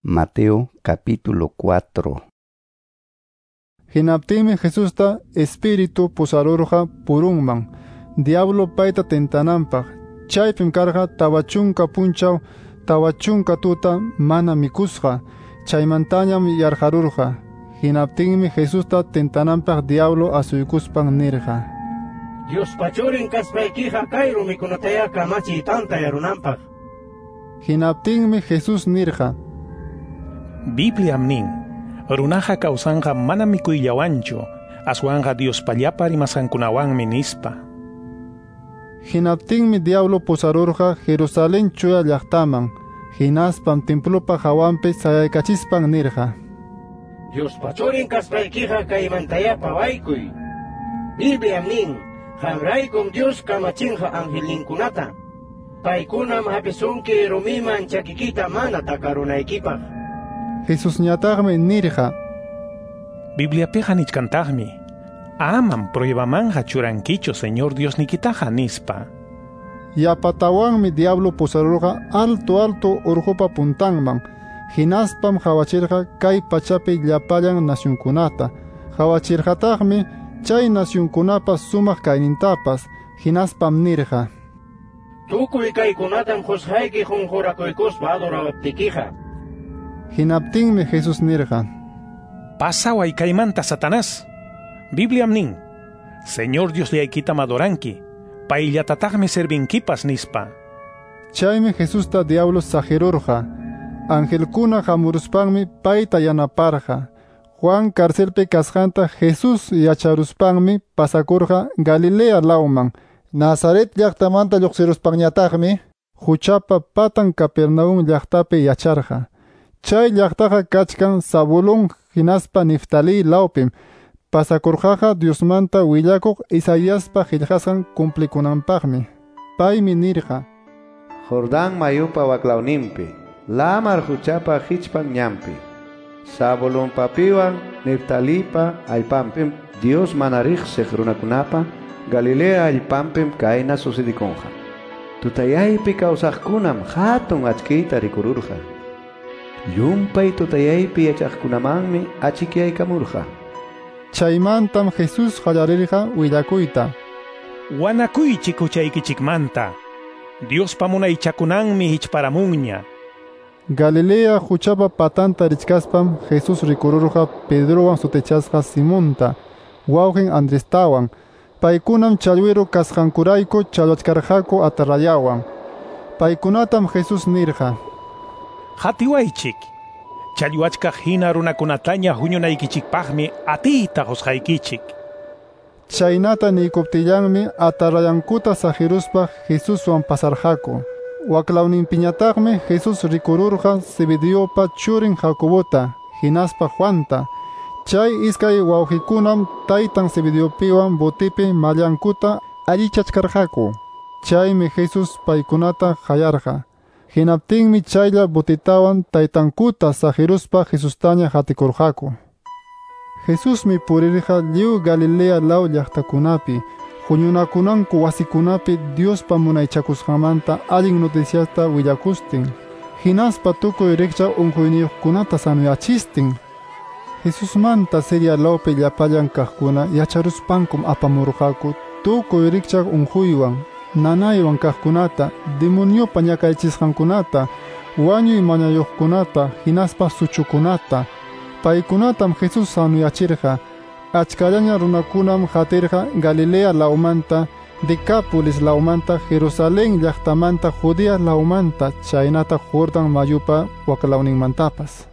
Mateo capítulo 4. Hinaptinmi Jesusta Espíritu pusarurqa purunman, diablo payta tentananpaq. Chaypim karqa 40 punchaw, 40 tuta mana mikusqa, chaymantañam yarqarurqa. Hinaptinmi Jesusta tentananpaq diablo asuykuspan nirqa: Diospa churin kaspaykiqa kay rumikunataya kamachiy tantayarunanpaq. Hinaptinmi Jesús nirqa: Bibliam nin, runaqa kawsanqa mana mikuyllawanchu, aswanqa Diospa llapa rimasqankunawanmi nispa. Hinaptinmi diablo pusarurqa Jerusalén chuya llaqtaman, hinaspam templopa hawanpi sayaykachispan nirqa: Diospa churin kaspaykiqa kaymantaya pawaykuy. Bibliam nin, qamraykum Dios kamachinqa angelninkunata. Paykunam hapisunki rumiman chakikita mana takarunaykipaq. Jesusñataqmi nirqa: Bibliapiqa nichkantaqmi, amam pruebamanqa churankichu Señor Diosnikitaqa nispa. Yapatawanmi diablo pusarurqa alto alto urqupa puntanman, hinaspam qawachirqa kay pachapi llapallan nacionkunata. Qawachirqataqmi chay nacionkunapa sumaq kaynintapas, hinaspam nirqa: Tukuy kaykunatam qusqayki qunqurakuykuspa adorawaptikiqa. Hinaptinmi Jesús nirqa: Pasaway kaymanta, Satanás. Bibliam nin, Señor Diosllaykitam adoranki, payllatataqmi servinkipas nispa. Chaymi Jesusta diablo saqirurqa. Angelkuna hamuruspanmi payta yanaparqa. Juan carcelpi kasqanta Jesús yacharuspanmi pasakurqa Galilea lawman. Nazaret llaqtamanta lluqsiruspanñataqmi huchapa patan Capernaum llaqtapi yacharqa. Chay llaqtaqa kachkan Zabulón hinaspa Neftalí lawpim. Pasakurqaqa Diosmanta willakuq Isaiaspa qillqasqan cumplikunanpaqmi. Paymi nirqa: Jordán mayupa waklawninpi, lamar huchapa hichpan ñanpi, Zabulonpapiwan Neftalipa allpanpim Dios mana riqsiq runakunapa Galilea allpanpim kayna sucedikunqa. Tutayaypi kawsaqkunam hatun achkiyta rikururqa. Llumpay tutayaypi yachaqkunamanmi achikyaykamurqa. Chaymantam Jesús qallarirqa willakuyta: Wanakuychik huchaykichikmanta, Diospa munaychakunanmi hichparamunña. Galilea huchapa patanta richkaspam Jesús rikururqa Pedrowan sutichasqa Simonta, wawqin Andrestawan. Paykunam challwiru kasqankurayku challwachkarqaku atarrayawan. Paykunatam Jesús nirqa: Qatiwaychik, challwachkaq hina runakunataña huñunaykichikpaqmi atiyta qusqaykichik. Chaynata niykuptillanmi atarrayankuta saqiruspa Jesuswan pasarqaku. Waklawninpiñataqmi Jesús rikururqa Zebedeopa churin Jacobota, hinaspa Juanta. Chay iskay wawqikunam taytan Zebedeopiwan botipi mallankuta allichachkarqaku. Chaymi Jesús paykunata qayarqa. Hinaptinmi chaylla botitawan taytankuta saqiruspa Jesustaña qatikurqaku. Jesusmi purirqa lliw Galilea law llaqtakunapi, huñunakunanku wasikunapi Diospa munaychakusqanmanta allin noticiasta willakustin, hinaspa tukuy rikcha unquyniyuqkunata sanuyachistin. Jesusmanta Siria lawpi llapallan kaqkuna yacharuspankum apamurqaku tukuy rikchaq unquywan, nanaywan kaqkunata, demoniopa ñakaychisqankunata, wañuy mañayuqkunata, hinaspa suchukunata. Paykunatam Jesús sanuyachirqa. Achkallaña runakunam qatirqa Galilea lawmanta, Decápolis lawmanta, Jerusalén llaqtamanta, Judea lawmanta, chaynata Jordán mayupa waklawninmantapas.